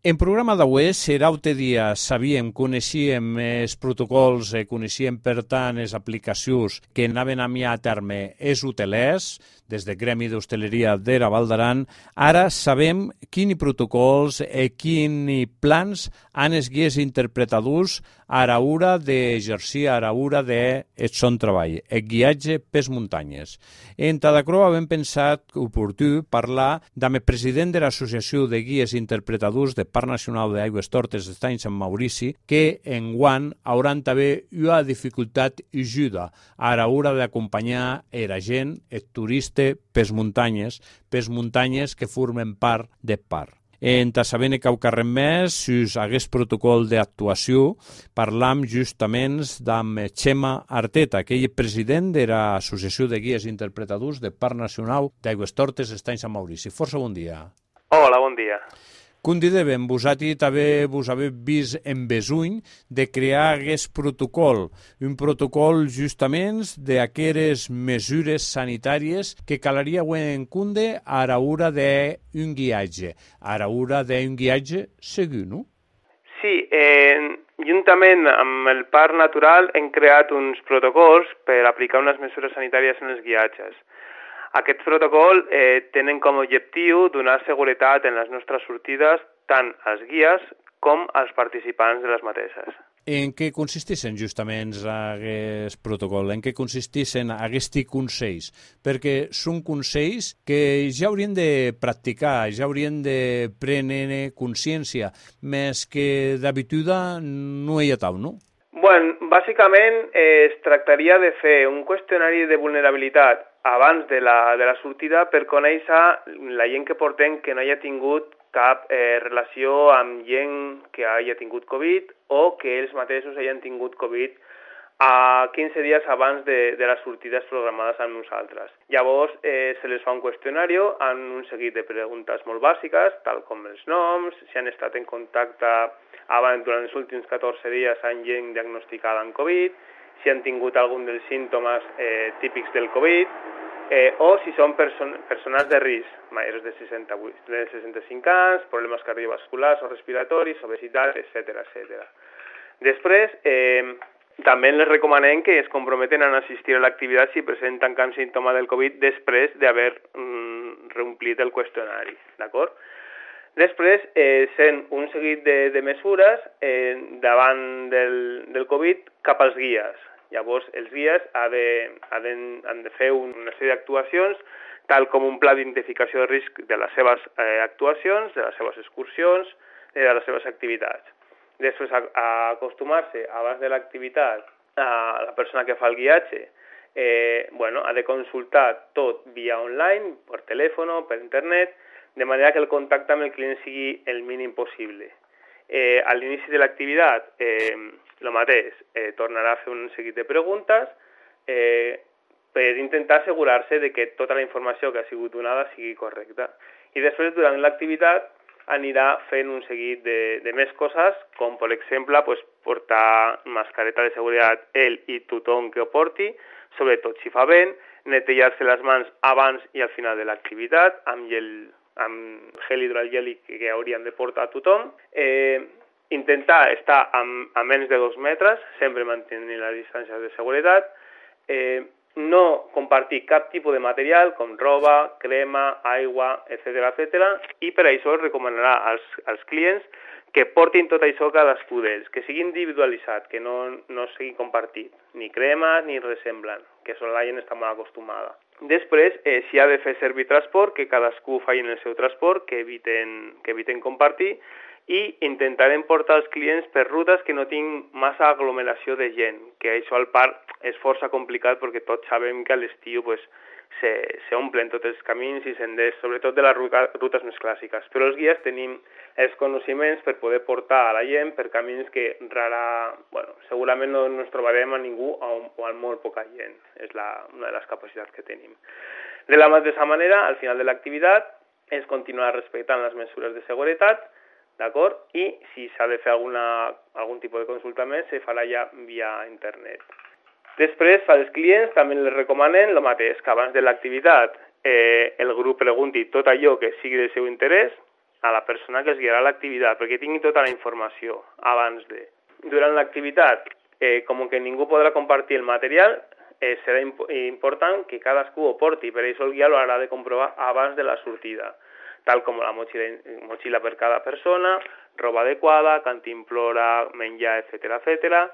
En programa d'avui serà un dia, sabíem, coneixíem els protocols, coneixíem per tant les aplicacions que anaven a mi a terme els hotelers, des del Gremi d'Hostaleria de la Val d'Aran. Ara sabem quins protocols i quins plans han els guies interpretadors a l'hora d'exercir, a l'hora de son treball, el guiatge pels muntanyes. En Tadacroa hem pensat oportú parlar amb el president de l'Associació de Guies Interpretadors de Parc Nacional d'Aigües Tortes d'Estany Sant Maurici, que enguany hauran també una dificultat i ajuda a l'hora d'acompanyar la gent, el turista, pels muntanyes que formen part del parc. En sabent que res més, si hagués protocol d'actuació, parlam justament amb Xema Arteta, que ell és president de l'Associació de Guies Interpretadors del Parc Nacional d'Aigües Tortes d'Estany Sant Maurici. Força bon dia. Hola, bon dia. Convidem, vosaltres també vos haveu vist en besuny de crear aquest protocol, un protocol justament d'aquestes mesures sanitàries que calaria en compte a l'hora d'un guiatge, a l'hora d'un guiatge segur, no? Sí, juntament amb el Parc Natural hem creat uns protocols per aplicar unes mesures sanitàries en els guiatges. Aquests protocols tenen com a objectiu donar seguretat en les nostres sortides tant als guies com als participants de les mateixes. En què consisteixen justament aquest protocol? En què consisteixen aquests consells? Perquè són consells que ja haurien de practicar, ja haurien de prendre consciència, més que d'habitude no hi ha tal, no? Bueno, bàsicament es tractaria de fer un qüestionari de vulnerabilitat abans de la sortida per conèixer la gent que portem que no hagi tingut cap relació amb gent que hagi tingut Covid o que ells mateixos hagin tingut Covid a 15 dies abans de les sortides programades amb nosaltres. Llavors se les fa un qüestionari amb un seguit de preguntes molt bàsiques, tal com els noms, si han estat en contacte abans durant els últims 14 dies amb gent diagnosticada amb Covid, si han tingut algun dels símptomes típics del Covid, o si són persones de risc, majors de 65 anys, problemes cardiovasculars o respiratoris, obesitat, etc. Després, també les recomanem que es comprometen a assistir a l'activitat si presenten cap símptoma del Covid després d'haver reomplit el qüestionari, d'acord? Després, sent un seguit de mesures davant del Covid cap als guies. Llavors, els guies han de fer una sèrie d'actuacions, tal com un pla d'identificació de risc de les seves actuacions, de les seves excursions, de les seves activitats. Després, acostumar-se, abans de l'activitat, a la persona que fa el guiatge, ha de consultar tot via online, per telèfon, per internet, de manera que el contacte amb el client sigui el mínim possible. A l'inici de l'activitat, el mateix, tornarà a fer un seguit de preguntes per intentar assegurar-se de que tota la informació que ha sigut donada sigui correcta. I després, durant l'activitat, anirà fent un seguit de més coses, com per exemple portar mascareta de seguretat ell i tothom que ho porti, sobretot si fa vent, netejar-se les mans abans i al final de l'activitat, amb gel hidroalgèlic que hauríem de portar a tothom, intentar estar a menys de 2 metres, sempre mantenint les distàncies de seguretat, no compartir cap tipus de material com roba, crema, aigua, etc. I per això es recomanarà als clients que portin tot això cadascú d'ells, que sigui individualitzat, que no sigui compartit, ni cremes ni res semblant, que la gent està molt acostumada. Després, si ha de fer servir transport, que cadascú faci el seu transport, que eviten compartir, i intentarem portar els clients per rutes que no tinguin massa aglomeració de gent, que això al parc és força complicat perquè tots sabem que a l'estiu s'omplen tots els camins i senders, sobretot de les rutes més clàssiques. Però els guies tenim els coneixements per poder portar a la gent per camins que segurament no ens trobarem a ningú o a molt poca gent. És una de les capacitats que tenim. De la mateixa manera, al final de l'activitat, es continuarà respectant les mesures de seguretat, d'acord? I si s'ha de fer algun tipus de consulta més, se farà ja via internet. Després, als clients també els recomanen el mateix, que abans de l'activitat el grup pregunti tot allò que sigui del seu interès, a la persona que es guiarà l'activitat, perquè tingui tota la informació abans de. Durant l'activitat, com que ningú podrà compartir el material, serà important que cadascú ho porti, per això el guia lo haurà de comprovar abans de la sortida, tal com la motxilla per cada persona, roba adequada, cantimplora, menjar, etc.,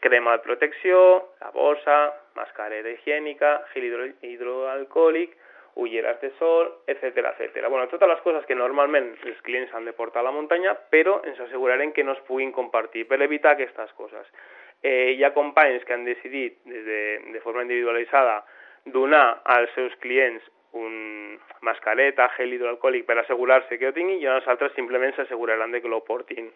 crema de protecció, la bossa, mascareta higiènica, gel hidroalcohòlic, ulleres de sol, etc. Bueno, totes les coses que normalment els clients han de portar a la muntanya, però ens assegurarem que no es puguin compartir per evitar aquestes coses. Hi ha companys que han decidit de forma individualitzada donar als seus clients un mascareta, gel hidroalcohòlic per assegurar-se que ho tinguin, i els altres simplement s'asseguraran de que lo portin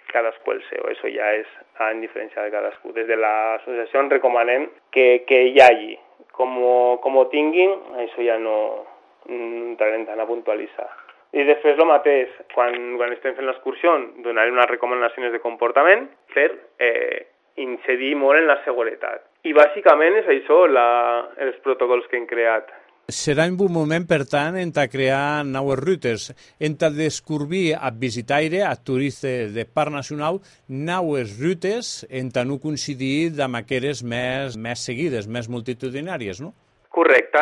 cadascú el seu. Això ja és en diferència de cadascú. Des de l'associació recomanem que hi hagi. Com ho tinguin, això ja no entrarem tant a puntualitzar. I després el mateix, quan estem fent l'excursió, donarem unes recomanacions de comportament per incidir molt en la seguretat. I bàsicament és això, els protocols que hem creat. Serà un bon moment, per tant, a crear noves rutes, a descobrir a visitaire, a turistes de Parc Nacional, noves rutes a no coincidir amb aquelles més seguides, més multitudinàries, no? Correcte.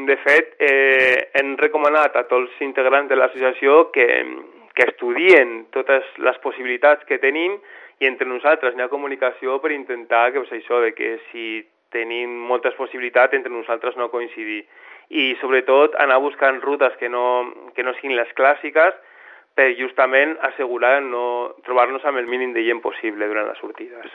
De fet, hem recomanat a tots els integrants de l'associació que estudien totes les possibilitats que tenim, i entre nosaltres hi ha comunicació per intentar que si tenim moltes possibilitats, entre nosaltres no coincidir. I sobretot anar buscant rutes que no siguin les clàssiques per justament assegurar no trobar-nos amb el mínim de gent possible durant les sortides.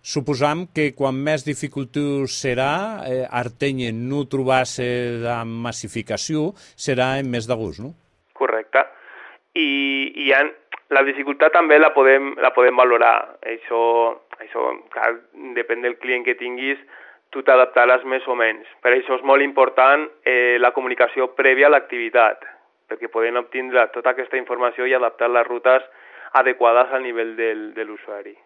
Suposam que quan més dificultós serà, Arteny no trobar-se amb massificació serà en més de gust, no? Correcte. I la dificultat també la podem valorar. Això depèn del client que tinguis, tu t'adaptaràs més o menys. Per això és molt important la comunicació prèvia a l'activitat, perquè podem obtindre tota aquesta informació i adaptar les rutes adequades al nivell de l'usuari.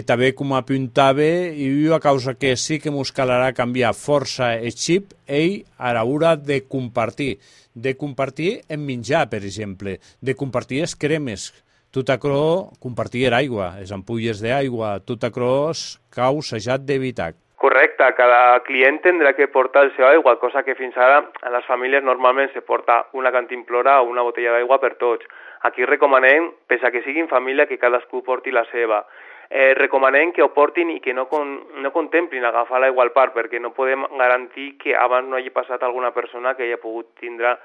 També, com apuntava, i a causa que sí que ens calarà canviar força el xip, a l'hora de compartir en menjar, per exemple, de compartir les cremes, tot això, compartir l'aigua, les ampolles d'aigua, tot això cau s'hajat d'evitar. Correcte, cada client tindrà que portar el seu aigua, cosa que fins ara a les famílies normalment se porta una cantimplora o una botella d'aigua per tots. Aquí recomanem, pese a que siguin família, que cadascú porti la seva. Recomanem que ho portin i que no contemplin agafar l'aigua al parc, perquè no podem garantir que abans no hagi passat alguna persona que hagi pogut tindre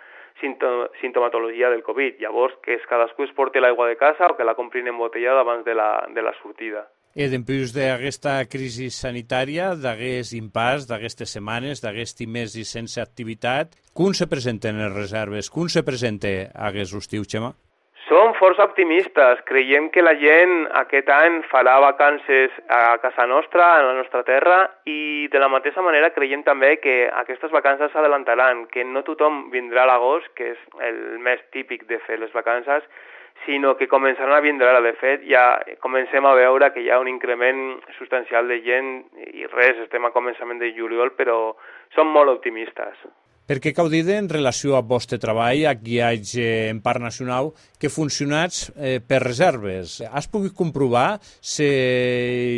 sintomatologia del Covid. Llavors, que cadascú es porti l'aigua de casa o que la comprin embotellada abans de la sortida. Després d'aquesta crisi sanitària, d'aquest impàs, d'aquestes setmanes, d'aquest mes i sense activitat, com se presenten les reserves? Com se presenta aquest estiu, Xema? Som força optimistes. Creiem que la gent aquest any farà vacances a casa nostra, a la nostra terra, i de la mateixa manera creiem també que aquestes vacances s'adelantaran, que no tothom vindrà a l'agost, que és el més típic de fer les vacances, sinó que començaran a vindre ara. De fet, ja comencem a veure que hi ha un increment substancial de gent i estem a començament de juliol, però som molt optimistes. Per què cau dir en relació al vostre treball, a guiatge en Parc Nacional, que funcionats per reserves? Has pogut comprovar si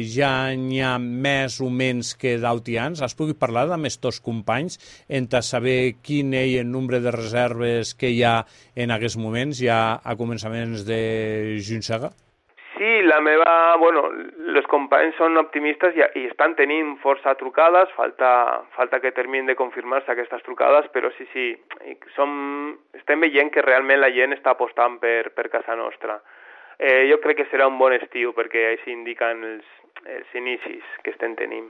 ja n'hi ha més o menys que d'altians? Has pogut parlar amb aquests companys per saber quin és el nombre de reserves que hi ha en aquests moments, ja a començaments de juny-sega? Sí, els companys són optimistes i estan tenint força trucades, falta que terminin de confirmar-se aquestes trucades, però sí, estem veient que realment la gent està apostant per casa nostra. Jo crec que serà un bon estiu, perquè així indiquen els inicis que estem tenint.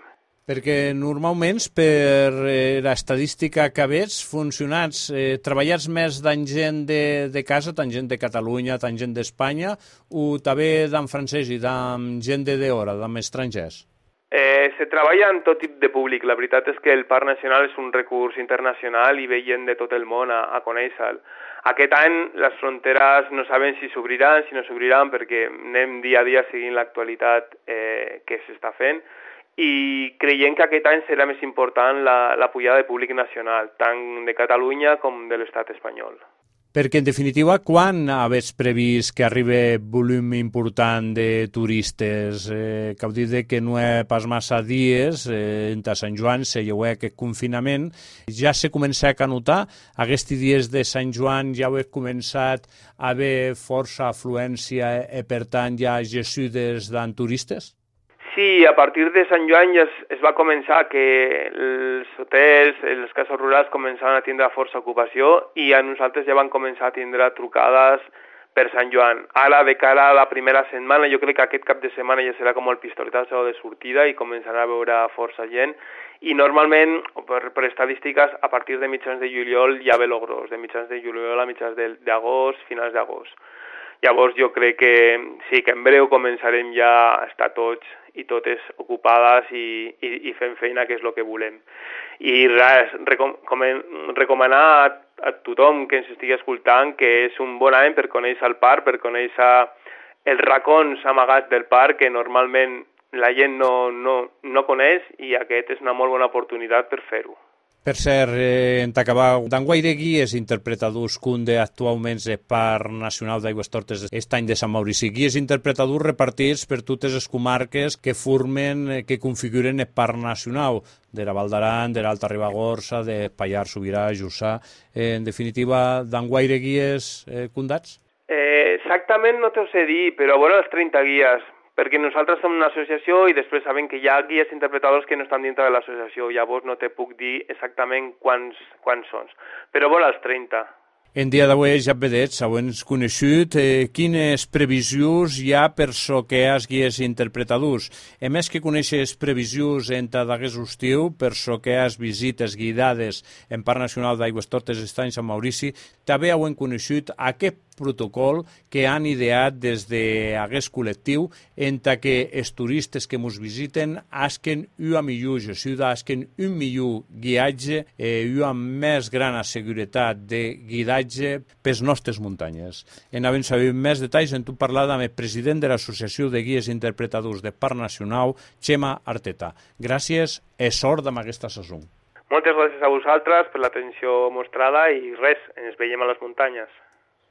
Perquè normalment, per l'estadística que veig, funcionats, treballats més amb gent de casa, tant gent de Catalunya, tant gent d'Espanya, o també d'en francès i d'en gent de d'hora, d'en estrangers? Se treballa en tot tipus de públic. La veritat és que el Parc Nacional és un recurs internacional i ve gent de tot el món a conèixer-lo. Aquest any les fronteres no sabem si s'obriran, si no s'obriran, perquè anem dia a dia seguint l'actualitat que s'està fent, i creiem que aquest any serà més important la pujada de públic nacional, tant de Catalunya com de l'estat espanyol. Perquè, en definitiva, quan havets previst que arribi volum important de turistes? Que heu dit que no hi ha pas massa dies, a Sant Joan se lleveu aquest confinament. Ja se comença a notar, aquests dies de Sant Joan ja heu començat a haver força afluència i, per tant, ja gessudes d'en turistes? Sí, a partir de Sant Joan ja es va començar que els hotels, les cases rurals començaven a tindre força ocupació i a nosaltres ja van començar a tindre trucades per Sant Joan. Ara, de cara a la primera setmana, jo crec que aquest cap de setmana ja serà com el pistoletazo de sortida i començarà a veure força gent. I normalment, per estadístiques, a partir de mitjans de juliol ja ve lo gros, de mitjans de juliol a mitjans d'agost, finals d'agost. Llavors jo crec que sí, que en breu començarem ja a estar tots i totes ocupades i fent feina, que és el que volem. I res, recomanar a tothom que ens estigui escoltant que és un bon any per conèixer el parc, per conèixer els racons amagats del parc que normalment la gent no coneix, i aquest és una molt bona oportunitat per fer-ho. Per cert, en acabar, d'enguaire guies interpretadors cunde actualment el Parc Nacional d'Aigüestortes Estany de Sant Maurici. Guies interpretadors repartits per totes les comarques que formen, que configuren el Parc Nacional, de la Val d'Aran, de l'Alta Ribagorça, de Pallars Sobirà, Jussà. En definitiva, d'enguaire guies condats? Exactament no t'ho sé dir, però bueno, els 30 guies, perquè nosaltres som una associació i després sabem que hi ha guies interpretadors que no estan dintre de l'associació, llavors no te puc dir exactament quants són, però bueno, els 30. En dia d'avui, ja vedets, heu coneixut quines previsions hi ha per so que has guies interpretadors. A més que coneixes previsions entre d'aquest estiu, per so que has visites guidades en Parc Nacional d'Aigüestortes Estany Sant Maurici, també heu coneixut aquest protocol que han ideat des d'aquest col·lectiu entre que els turistes que ens visiten hagin una millor gestió, hagin un millor guiatge i una més gran seguretat de guidatge per les nostres muntanyes. En havent sabut més detalls, hem parlat amb el president de l'Associació de Guies Interpretadors de Parc Nacional, Xema Arteta. Gràcies i sort amb aquesta saison. Moltes gràcies a vosaltres per l'atenció mostrada i res, ens veiem a les muntanyes.